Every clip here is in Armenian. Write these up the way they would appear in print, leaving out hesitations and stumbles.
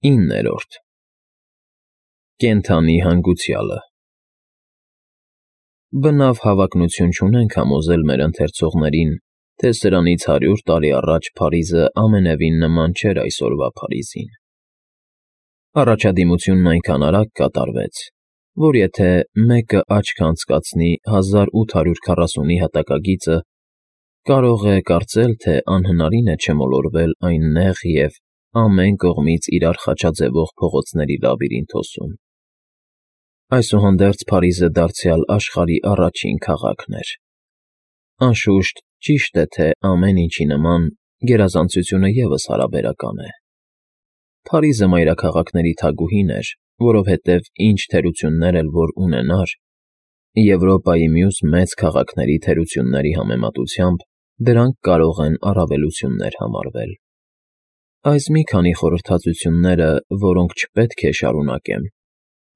9. Կենդանի հանգուցյալը Բնավ հավակնություն չունենք համոզել մեր ընթերցողներին, թե սրանից 100 տարի առաջ Փարիզը ամենևին նման չէր այսօրվա Փարիզին։ Առաջադիմությունն այնքան արագ կատարվեց, որ եթե մեկը աչք անցկացնի 1840-ի հատակագիծը, կարող է կարծել, թե անհնարին է չմոլորվել այն նեղ և ամեն կողմից իրար խաչաձևող փողոցների լաբիրինթոսում։ Այսուհանդերձ Փարիզը դարձյալ աշխարհի առաջին քաղաքն էր։ Անշուշտ, ճիշտ է, թե ամեն ինչի նման գերազանցությունը ևս հարաբերական է։ Փարիզը մայրաքաղաքների թագուհին էր, որովհետև ինչ թերություններ էլ որ ունենար, Եվրոպայի մյուս մեծ քաղաքների թերությունների համեմատությամբ դրանք կարող են առավելություններ համարվել։ Այս մի քանի խորհրդածությունները, որոնք չպետք է շարունակեմ,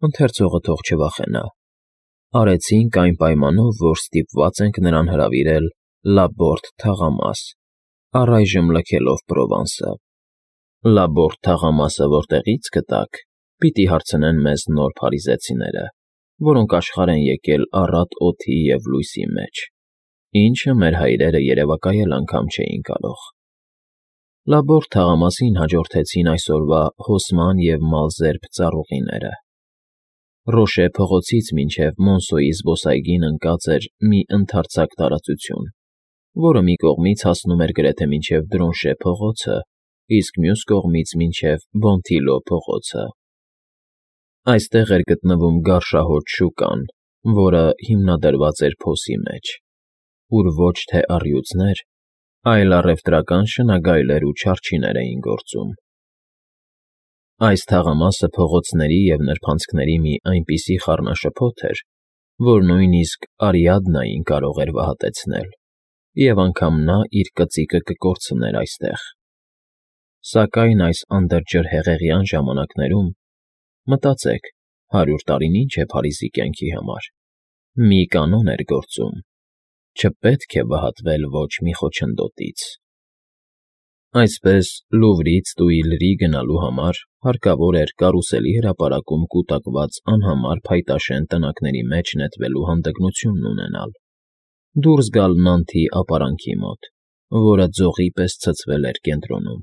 ընթերցողը թող չվախենա, արեցինք այն պայմանով, որ ստիպված ենք նրան հրավիրել Լաբորտ թաղամաս, առայժմ լքելով Պրովանսը։ Լաբորտ թաղամասը որտեղի՞ց գտաք, պիտի հարցնեն մեզ նոր փարիզեցիները, որոնք աշխարհ են եկել առատ օդի և լույսի մեջ, ինչը մեր հայրերը երևակայել անգամ չէին կարող։ Լաբորտ թաղամասին հաջորդեցին այսօրվա Հոսման և Մալզերբ ծառուղիները։ Ռոշե փողոցից մինչև Մոնսոյի զբոսայգին ընկած էր մի ընդարձակ տարածություն, որը մի կողմից հասնում էր գրեթե մինչև Դրոնշե փողոցը, իսկ մյուս կողմից մինչև Բոնթիլո փողոցը։ Այստեղ էր գտնվում Գարշահոտ շուկան, որը հիմնադրված էր փոսի մեջ, ուր ոչ թե առյուծներ, այլ առևտրական շնագայլեր ու չարչիներ էին գործում։ Այս թաղամասը փողոցների և նրբանցքների մի այնպիսի խառնաշփոթ էր, որ նույնիսկ Արիադնային կարող էր վհատեցնել, և անգամ նա իր կծիկը կկորցներ այստեղ։ Սակայն այս անդրջրհեղեղյան ժամանակներում, մտածեք, 100 տարին ինչ է Փարիզի կյանքի համար, մի կանոն էր գործում. չպետք է վհատվել ոչ մի խոչընդոտից։ Այսպես, Լուվրից Տուիլրի գնալու համար հարկավոր էր կարուսելի հրապարակում կուտակված անհամար փայտաշեն տնակների մեջ նետվելու հանդգնությունն ունենալ, դուրս գալ Նանթի ապարանքի մոտ, որը ձողի պես ցցվել էր կենտրոնում,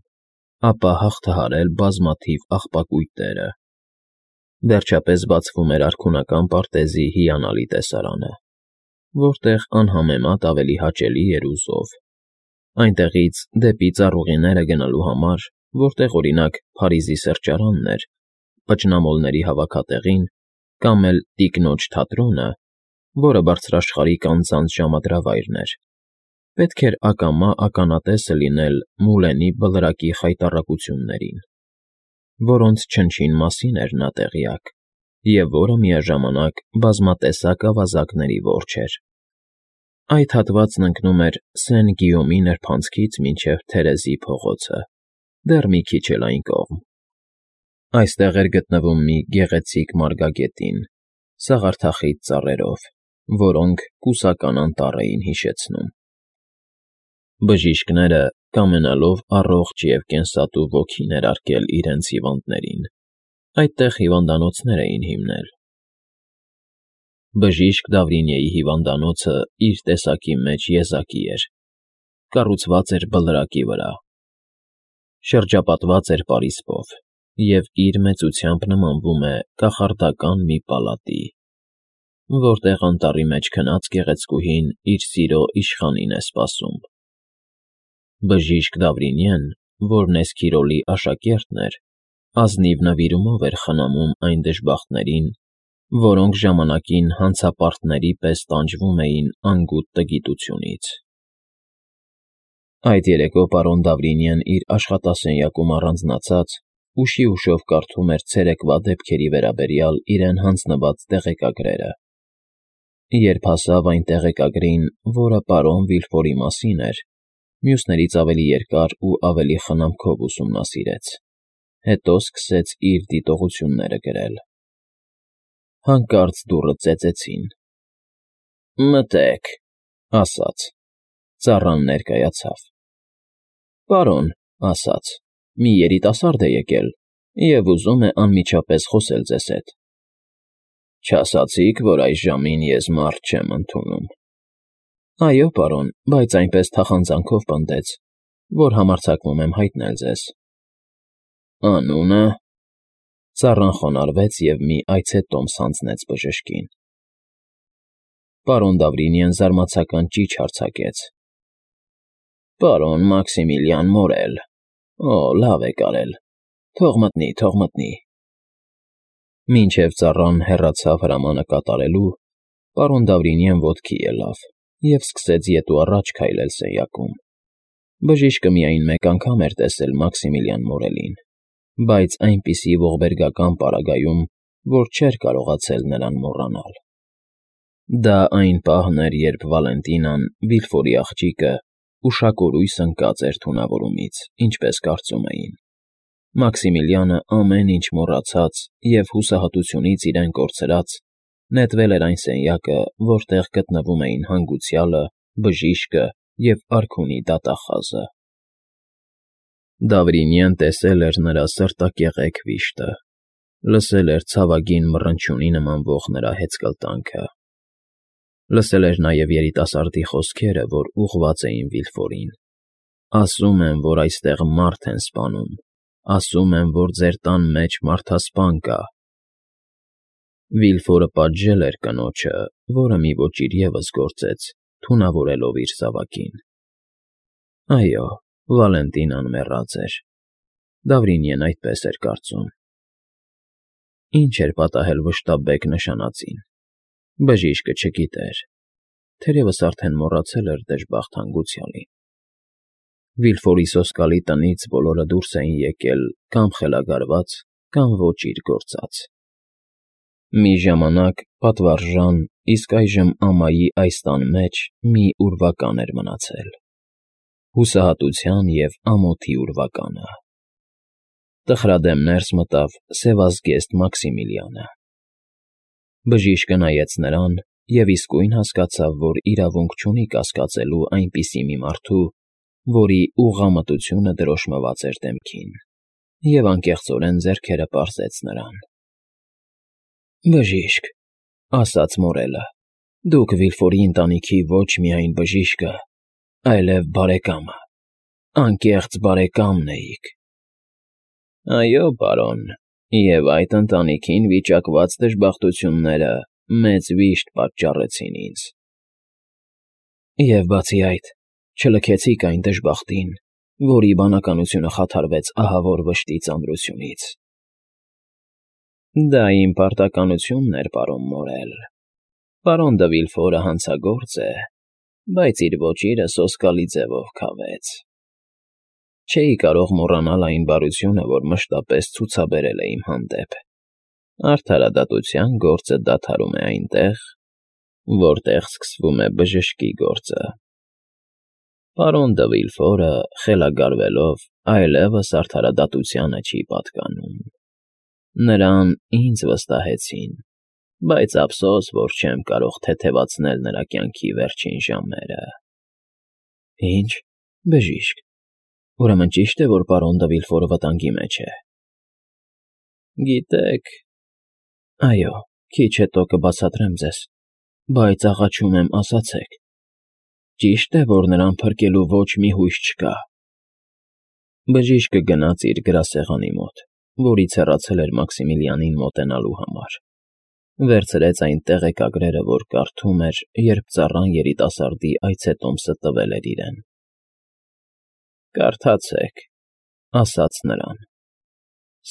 ապա հաղթահարել բազմաթիվ աղբակույտերը։ Վերջապես բացվում էր արքունական պարտեզի հիանալի տեսարանը, որտեղ անհամեմատ ավելի հաճելի էր ու զով։ Այնտեղից դեպի ծառուղիները գնալու համար, որտեղ, օրինակ, Փարիզի սրճարանն էր, փչնամոլների հավաքատեղին, կամ էլ Տիկնոջ թատրոնը, որը բարձրաշխարհիկ անձանց ժամադրավայրն էր, պետք էր ակամա ականատեսը լինել Մուլենի բլրակի խայտառակություններին, որոնց չնչին մասին էր նա տեղյակ, և որը միաժամանակ բազմատեսակ ավազակների որջն էր։ Այդ հատվածն ընկնում էր Սեն֊Գիոմի նրբանցքից մինչև Թերեզի փողոցը, դեռ մի քիչ էլ այն կողմ։ Այստեղ էր գտնվում մի գեղեցիկ մարգագետին, սաղարթախիտ ծառերով, որոնք կուսական անտառ էին հիշեցնում։ Բժիշկները, կամենալով առողջ և կենսատու ոգի ներարկել իրենց հիվանդներին, այդտեղ հիվանդանոցներ էին հիմնել։ Բժիշկ Դավրինյեի հիվանդանոցը իր տեսակի մեջ եզակի էր, կառուցված էր բլրակի վրա, շրջապատված էր պարիսպով և իր մեծությամբ նմանվում է կախարդական մի պալատի, որտեղ անտառի մեջ քնած գեղեցկուհին իր սիրո իշխանին է սպասում։ Բժիշկ Դավրինյեն, որն Էսքիրոլի աշակերտն էր, ազնիվ նվիրումով էր խնամում այն դժբախտներին, որոնք ժամանակին հանցապարտների պես տանջվում էին անգութ տգիտությունից։ Այդ երեկո պարոն Դավրինյեն իր աշխատասենյակում առանձնացած ուշիուշով կարդում էր ցերեկվա դեպքերի վերաբերյալ իրեն հանձնված տեղեկագրերը։ Երբ հասավ այն տեղեկագրին, որը պարոն Վիլֆորի մասին էր, մյուսներից ավելի երկար ու ավելի խնամքով ուսումնասիրեց, հետո սկսեց իր դիտողությունները գրել։ Հանկարծ դուռը ծեծեցին։ «Մտե՛ք», ասաց։ Ծառան ներկայացավ։ «Պարոն», ասաց, «մի երիտասարդ է եկել, և ուզում է անմիջապես խոսել ձեզ հետ։ Չասացիք, որ այս ժամին ես մարդ չեմ ընդունում։ Այո, պարոն, բայց այնպես թախանձանքով պնդեց, որ համարձակվում եմ հայտնել ձեզ։ Անունը… Ծառան խոնարհվեց և մի այցետոմս հանձնեց բժշկին։ Պարոն Դավրինյան զարմացական ճիչ արձակեց. Պարոն Մաքսիմիլիան Մորել… Օ, լավ եք արել… Թող մտնի, թող մտնի… Մինչև ծառան հեռացավ հրամանը կատարելու, պարոն Դավրինյան ոտքի ելավ և սկսեց ետ ու առաջ քայլել սենյակում։ Բժիշկը միայն մեկ անգամ էր տեսել Մաքսիմիլիան Մորելին, բայց այնպիսի ողբերգական պարագայում, որ չէր կարողացել նրան մոռանալ։ Դա այն պահն էր, երբ Վալենտինան, Վիլֆորի աղջիկը, ուշակորույս ընկած էր թունավորումից, ինչպես կարծում էին։ Մաքսիմիլիանը ամեն ինչ մոռացած և հուսահատությունից իրեն կորցրած, նետվել էր այն սենյակը, որտեղ գտնվում էին հանգուցյալը, բժիշկը և արքունի դատախազը։ Դավրինյան տեսել էր նրա սրտակեղեկ վիշտը, լսել էր ցավագին մռնչյունի նմանվող նրա հեծկլտանքը։ Լսել էր նաև երիտասարդի խոսքերը, որ ուղղված էին Վիլֆորին. ասում են, որ այստեղ մարդ են սպանում, ասում են, որ ձեր տան մեջ մարդասպան կա։ Վիլֆորը պատժել էր կնոջը, որը մի ոճիր ևս գործեց, թունավորելով իր զավակին։ Այո, Վալենտինան մեռած էր։ Դավրինյան այդպես էր կարծում։ Ինչ էր պատահել վշտաբեկ նշանածին։ Բժիշկը չգիտեր, թերևս արդեն մոռացել էր դժբախտ հանգուցյալին։ Վիլֆորի սոսկալի տնից բոլորը դուրս էին եկել կամ խելագարված, կամ ոճիր գործած։ Մի ժամանակ պատվարժան, իսկ այժմ ամայի այս տան մեջ մի ուրվական էր մնացել։ Հուսահատության և ամոթի ուրվականը։ Տխրադեմ ներս մտավ սևազգեստ Մաքսիմիլիանը։ Բժիշկը նայեց նրան և իսկույն հասկացավ, որ իրավունք չունի կասկածելու այնպիսի մի մարդու, որի ուղղամտությունը դրոշմված էր դեմքին, և անկեղծորեն ձեռքերը պարզեց նրան։ Բժիշկ, ասաց Մորելը, դուք Վիլֆորի ընտանիքի ոչ միայն բժիշկը, այլև բարեկամը, անկեղծ բարեկամն էիք։ Այո, պարոն, և այդ ընտանիքին վիճակված դժբախտությունները մեծ վիշտ պատճառեցին ինձ։ Եվ բացի այդ, չլքեցիք այն դժբախտին, որի բանականությունը խաթարվեց ահավոր վշտի ծանրությունից։ Դա իմ պարտականությունն էր, պարոն Մորել։ Պարոն դը Վիլֆորը հանցագործ է, բայց իր ոճիրը սոսկալի ձևով քավեց։ Չէի կարող մոռանալ այն բարությունը, որ մշտապես ցուցաբերել է իմ հանդեպ։ Արդարադատության գործը դադարում է այնտեղ, որտեղ սկսվում է բժշկի գործը։ Պարոն դը Վիլֆորը, խելագարվելով, այլևս արդարադատությանը չի պատկանում։ Նրան ինձ վստահեցին, բայց ափսոս, որ չեմ կարող թեթևացնել նրա կյանքի վերջին ժամերը։ Ինչ, բժիշկ, ուրեմն ճիշտ է, որ պարոն դը Վիլֆորը վտանգի մեջ է։ Գիտեք… Այո, քիչ հետո կբացատրեմ ձեզ, բայց աղաչում եմ, ասացեք… Ճիշտ է, որ նրան փրկելու ոչ մի հույս չկա։ Բժիշկը գնաց իր գրասեղանի մոտ, որից հեռացել էր Մաքսիմիլիանին մոտենալու համար։ Վերցրեց այն տեղեկագրերը, որ կարդում էր, երբ ծառան երիտասարդի այցետոմսը տվել էր իրեն։ Կարդացեք, ասաց նրան։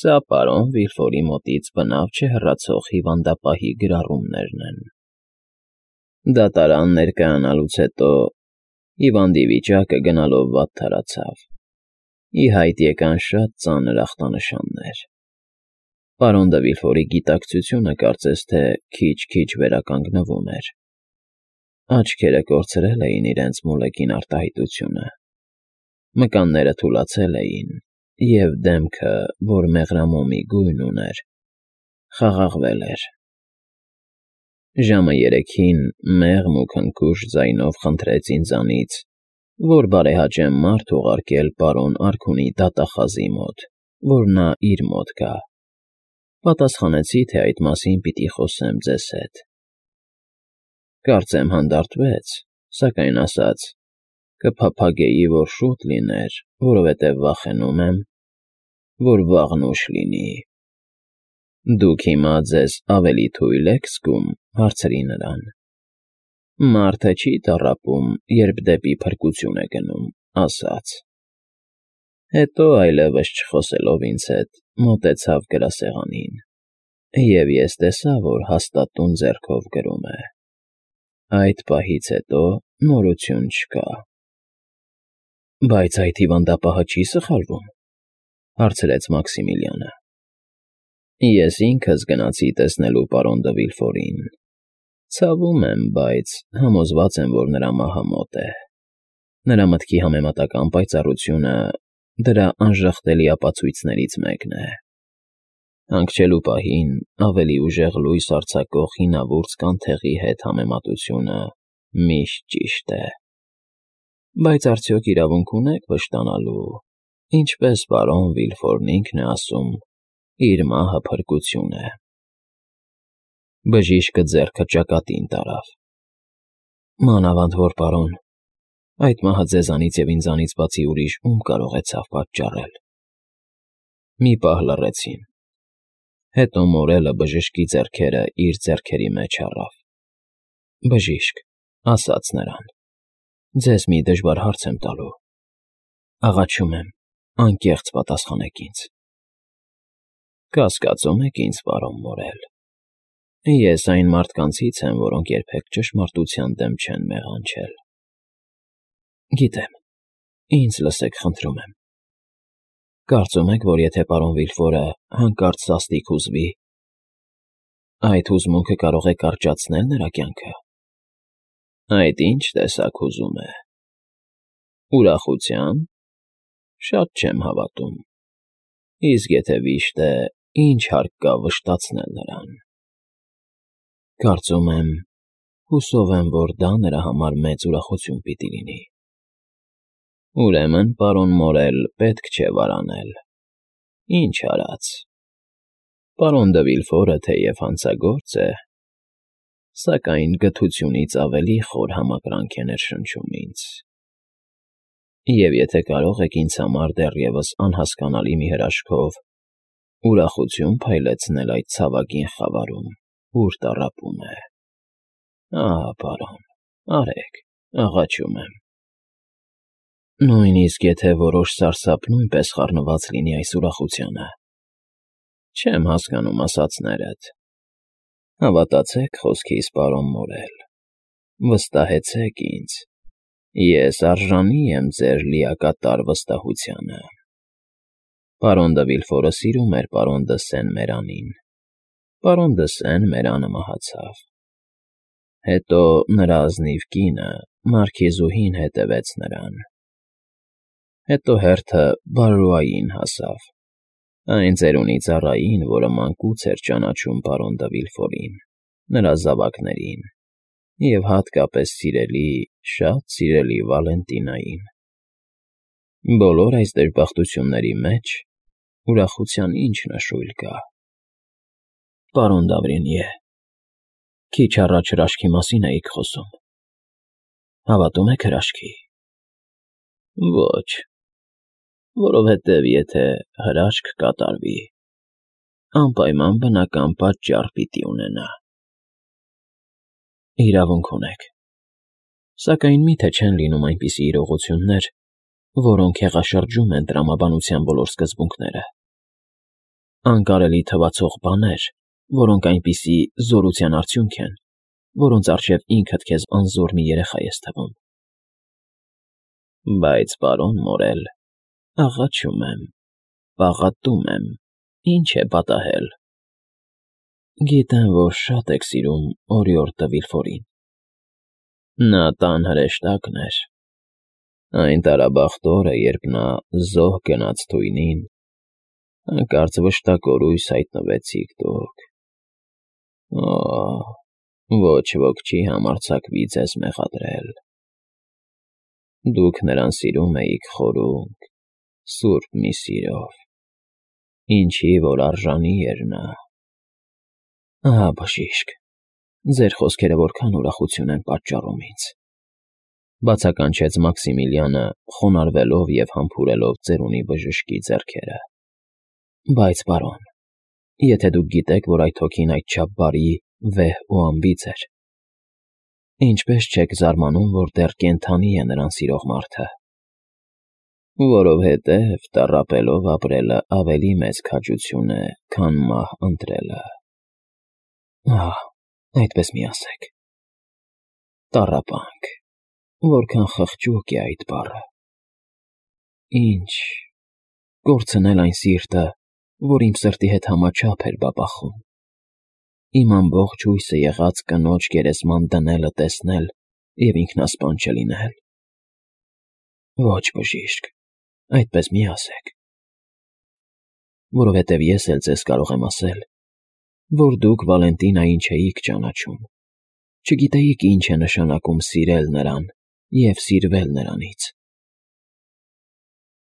Սա պարոն Վիլֆորի մոտից բնավ չհեռացող հիվանդապահի գրառումներն են։ Դատարան ներկայանալուց հետո հիվանդի վիճակը գնալով վատթարացավ։ Ի հայտ եկան շատ ծանր ախտանշաններ։ Պարոն դը Վիլֆորի գիտակցությունը կարծես թե քիչ-քիչ վերականգնվում էր։ Աչքերը կորցրել էին իրենց մոլեգին արտահայտությունը։ Մկանները թուլացել էին, և դեմքը, որ մեղրամոմի գույն ուներ, խաղաղվել էր։ Ժամը 3-ին մեղմ ու քնքուշ ձայնով խնդրեց ինձանից, որ բարեհաճեմ մարդ ուղարկել պարոն արքունի դատախազի մոտ, որ նա իր մոտ գա։ Պատասխանեցի, թե այդ մասին պիտի խոսեմ ձեզ հետ։ Կարծեմ հանդարտվեց, սակայն ասաց. կփափագեի, որ շուտ լիներ, որովհետև վախենում եմ, որ վաղն ուշ լինի։ Դուք հիմա ձեզ ավելի թույլ եք զգում, հարցրի նրան։ Մարդը չի տառապում, երբ դեպի փրկություն է գնում, ասաց։ Հետո այլևս չխոսելով ինձ հետ, մոտեցավ գրասեղանին, և ես տեսա, որ հաստատուն ձեռքով գրում է։ Այդ պահից հետո նորություն չկա։ Բայց այդ հիվանդապահը չի սխալվում, հարցրեց Մաքսիմիլիանը։ Ես ինքս գնացի տեսնելու պարոն դը Վիլֆորին։ Ցավում եմ, բայց համոզված եմ, որ նրա մահը մոտ է։ Նրա մտքի համեմատական պայծառությունը դրա անժխտելի ապացույցներից մեկն է։ Հանգչելու պահին ավելի ուժեղ լույս արձակող հինավուրց կանթեղի հետ համեմատությունը միշտ ճիշտ է։ Բայց արդյոք իրավունք ունեք վշտանալու, ինչպես պարոն Վիլֆորն ինքն է ասում, իր մահը փրկություն է։ Բժիշկը ձեռքը ճակատին տարավ։ Մանավանդ որ պարոն, այդ մահը ձեզանից և ինձանից բացի ուրիշ ում կարող է ցավ պատճառել։ Մի պահ լռեցին։ Հետո մորելը բժշկի ձեռքերը իր ձեռքերի մեջ առավ։ Բժիշկ, ասաց նրան, ձեզ մի դժվար հարց եմ տալու։ Աղաչում եմ, անկեղծ պատասխանեք ինձ։ Կասկածում եք ինձ, պարոն Մորել։ Ես այն մարդկանցից եմ, որոնք երբեք ճշմարտության դեմ չեն մեղանչել։ Գիտեմ, ինձ լսեք, խնդրում եմ։ Կարծում եք, որ եթե պարոն Վիլֆորը հանկարծ սաստիկ հուզվի, այդ հուզմունքը կարող է կարճացնել նրա կյանքը։ Այդ ինչ տեսակ հուզում է։ Ուրախության։ Շատ չեմ հավատում։ Իսկ եթե վիշտ է, ինչ հարկ կա վշտացնել նրան։ Կարծում եմ, հուսով եմ, որ դա նրա համար մեծ ուրախություն պիտի լինի։ Ուրեմն, պարոն Մորել, պետք չէ վարանել։ Ինչ արած։ Պարոն դը Վիլֆորը թեև հանցագործ է, սակայն գթությունից ավելի խոր համակրանք է ներշնչում ինձ։ Եվ եթե կարող եք ինձ համար դեռևս անհասկանալի մի հրաշքով ուրախություն փայլեցնել այդ ցավագին խավարում, ուր տառապում է։ Ահա, պարոն, արեք, աղաչում եմ։ Նույնիսկ եթե որոշ սարսափ նույնպես խառնված լինի այս ուրախությանը։ Չեմ հասկանում ասածներդ։ Հավատացեք խոսքիս, պարոն Մորել։ Վստահեցեք ինձ։ Ես արժանի եմ ձեր լիակատար վստահությանը։ Պարոն դը Վիլֆորը սիրում էր պարոն դը Սեն֊Մերանին։ Պարոն դը Սեն֊Մերանը մահացավ։ Հետո նրա ազնիվ կինը, մարքիզուհին, հետևեց նրան։ Հետո հերթը Բարրուային հասավ, այն ծերունի ծառային, որը մանկուց էր ճանաչում պարոն դը Վիլֆորին, նրա զավակներին և հատկապես սիրելի, շատ սիրելի Վալենտինային։ Բոլոր այս դժբախտությունների մեջ ուրախության ինչ նշույլ կա։ Պարոն Դավրինյե, քիչ առաջ հրաշքի մասին էիք խոսում։ Հավատո՞ւմ եք հրաշքի։ Ոչ, որովհետև եթե հրաշք կատարվի, անպայման բնական պատճառ պիտի ունենա։ Իրավունք ունեք։ Սակայն մի՞թե չեն լինում այնպիսի իրողություններ, որոնք հեղաշրջում են տրամաբանության բոլոր սկզբունքները։ Անկարելի թվացող բաներ, որոնք այնպիսի զորության արդյունք են, որոնց առջև ինքդ քեզ անզոր մի երեխա ես թվում։ Բայց, պարոն Մորել, աղաչում եմ, պաղատում եմ, ինչ է պատահել։ Գիտեմ, որ շատ եք սիրում օրիորդ դը Վիլֆորին։ Նա տան հրեշտակն էր։ Այն տարաբախտ օրը, երբ նա զոհ գնաց թույնին, հանկարծ վշտակորույս հայտնվեցիք դուք։ Օ՜, ոչ ոք չի համարձակվի ձեզ մեղադրել։ Դուք նրան սիրում էիք խորունկ, սուրբ մի սիրով։ ինչի որ արժանի էր նա։ Ահա բժիշկ, ձեր խոսքերը որքան ուրախություն են պատճառում ինձ, բացականչեց Մաքսիմիլիանը, խոնարհվելով և համբուրելով ծերունի բժշկի ձեռքերը։ Բայց, պարոն, եթե դուք գիտեք, որ այդ հոգին այդչափ բարի, վեհ ու անբիծ էր, ինչպե՞ս չեք զարմանում, որ դեռ կենդանի է նրան սիրող մարդը։ Որովհետև տառապելով ապրելը ավելի մեծ քաջություն է, քան մահ ընտրելը։ Այդպես մի ասեք։ Տառապանք, որքան խղճուկ է այդ բառը։ Ինչ, կորցնել այն սիրտը, որ իմ սրտի հետ համաչափ էր բաբախում, իմ ամբողջ հույսը եղած կնոջ գերեզման դնելը տեսնել և ինքնասպան չլինել։ Ոչ, բժիշկ, այդպես մի ասեք, որովհետև ես էլ ձեզ կարող եմ ասել, որ դուք Վալենտինային չէիք ճանաչում, չգիտեիք ինչ է նշանակում սիրել նրան և սիրվել նրանից։